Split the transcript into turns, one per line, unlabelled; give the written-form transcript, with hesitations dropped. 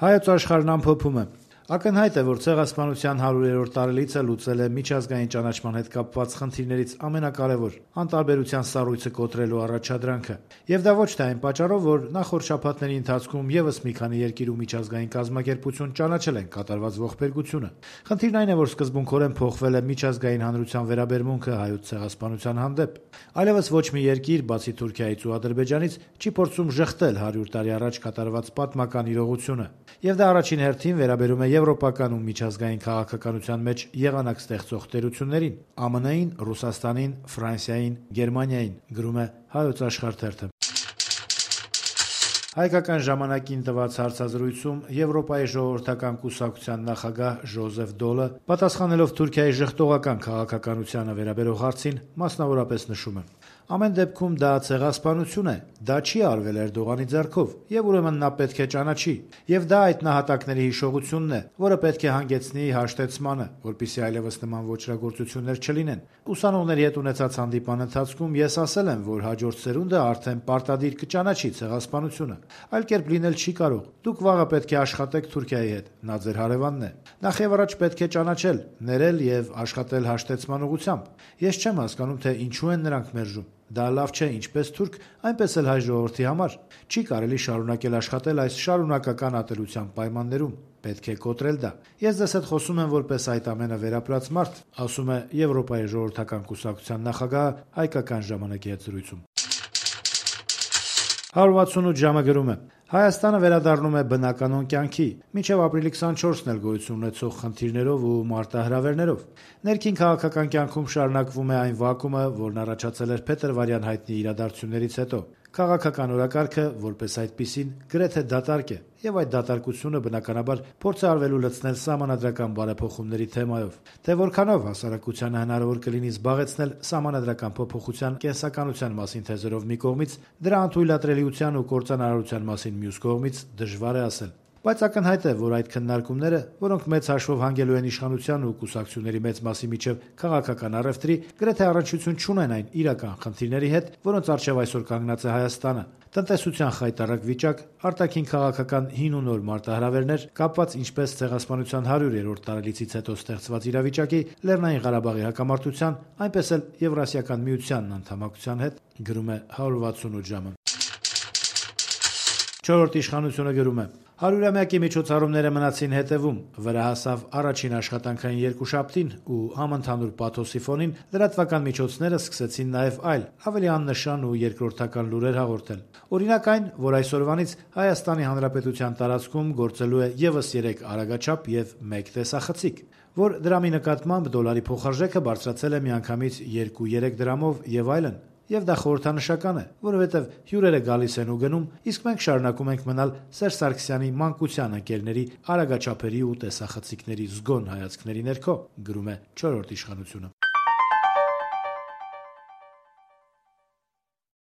Հայոց աշխարհն ամփոփում է. Ակնհայտ է, որ ցեղասպանության 100-րդ տարելիցը լուծել է միջազգային ճանաչման հետ կապված խնդիրներից ամենակարևոր՝ անտարբերության սառույցը կոտրելու առաջադրանքը։ Եվ դա ոչ թե այն պատճառով, որ նախորդ շաբաթների ընթացքում եւս մի քանի երկիր ու միջազգային կազմակերպություն ճանաչել են կատարված ողբերգությունը։ Խնդիրն այն է, որ սկզբունքորեն փոխվել է միջազգային հանրության վերաբերմունքը հայոց ցեղասպանության հանդեպ։ Այլևս ոչ մի երկիր, բացի Թուրքիայից ու Ադրբեջանից, չի փորձում ժխտել 100 տարի առաջ կատարված պատմական իրողությունը։ Եվ դա առաջին հերթին վերաբերում է եվրոպական ու միջազգային քաղաքականության մեջ եղանակ ստեղծող տերություններին՝ ԱՄՆ-ին, Ռուսաստանին, Ֆրանսիային, Գերմանիային, գրում է Հայոց աշխարհ թերթը։ Հայկական ժամանակին տված հարցազրույցում Եվրոպայի ժողովրդական կուսակցության նախագահ Ժոզեֆ Դոլը, պատասխանելով Թուրքիայի ժխտողական քաղաքականությանը վերաբերող հարցին, մասնավորապես նշում է. «Ամեն դեպքում դա ցեղասպանություն է, դա չի արվել Էրդողանի ձեռքով, եւ ուրեմն նա պետք է ճանաչի, եւ դա այդ նահատակների հիշողությունն է, որը պետք է հանգեցնի հաշտեցմանը, որպեսզի այլևս նման ոճրագործություններ չլինեն։ Ուսանողների հետ ունեցած հանդիպման ընթացքում ես ասել եմ, որ հաջորդ սերունդը արդեն պարտադիր կճանաչի ցեղասպանությունը, այլ կերպ լինել չի կարող։ Դուք վաղը պետք է աշխատեք Թուրքիայի հետ, նա ձեր հարևանն է։ Նախ եւ առաջ պետք է ճանաչել, ներել եւ աշխատել հաշտեցման ուղղությամբ։ Ես չեմ հասկանում, թե ինչու են նրանք մերժում։ Դա լավ չէ ինչպես թուրք, այնպես էլ հայ ժողովրդի համար։ Չի կարելի շարունակել աշխատել այս շարունակական ատելության պայմաններում։ Պետք է կոտրել դա։ Ես ձեզ հետ խոսում եմ որպես այդ ամենը վերապրած մարդ», ասում է Եվրոպայի ժողովրդական կուսակցության նախագահը հայկական ժամանակի հետ զրույցում։ 168 ժամը գրում է. Հայաստանը վերադառնում է բնականոն կյանքի, մինչև ապրիլի 24-ն էլ գոյություն ունեցող խնդիրներով ու մարտահրավերներով։ Ներքին քաղաքական կյանքում շարունակվում է այն վակումը, որն առաջացել էր փետրվարյան հայտնի իրադարձություններից հետո։ Քաղաքական օրակարգը, որպես այդպիսին, գրեթե դատարկ է, եւ այդ դատարկությունը բնականաբար փորձ է արվելու լցնել սահմանադրական բարեփոխումների թեմայով։ Թե որքանով հասարակությանը հնարավոր կլինի զբաղեցնել սահմանադրական փոփոխության կենսականության մասին թեզերով մի կողմից, դրա անթույլատրելիության ու կործանարարության մասին մյուս կողմից, դժվար է ասել։ Բայց ակնհայտ է, որ այդ քննարկումները, որոնք մեծ հաշվով հանգելու են իշխանության ու կուսակցությունների մեծ մասի միջև քաղաքական առևտրի, գրեթե առնչություն չունեն այն իրական խնդիրների հետ, որոնց առջև այսօր կանգնած է Հայաստանը։ Տնտեսության խայտառակ վիճակ, արտաքին քաղաքական հին ու նոր մարտահրավերներ, կապված ինչպես ցեղասպանության 100-րդ տարելիցից հետո ստեղծված իրավիճակի, Լեռնային Ղարաբաղի հակամարտության, այնպես էլ Եվրասիական միությանն անդամակցության հետ, գրում է 168 ժամը։ Չորրորդ իշխանությունը գրում է. 100-ամյակի միջոցառումները մնացին հետևում, վրա հասավ առաջին աշխատանքային երկուշաբթին ու համընդհանուր պաթոսի ֆոնին լրատվական միջոցները սկսեցին նաև այլ, ավելի աննշան ու երկրորդական լուրեր հաղորդել։ Օրինակ այն, որ այսօրվանից Հայաստանի Հանրապետության տարածքում գործելու է ևս 3 արագաչափ եւ 1 տեսախցիկ, որ դրամի նկատմամբ դոլարի փոխարժեքը բարձրացել է միանգամից 2-3 դրամով եւ այլն։ Եվ դա խորհրդանշական է, որովհետև հյուրերը գալիս են ու գնում, իսկ մենք շարունակում ենք մնալ Սերժ Սարգսյանի մանկության ընկերների արագաչափերի ու տեսախցիկների զգոն հայացքների ներքո, գրում է 4-րդ իշխանությունը։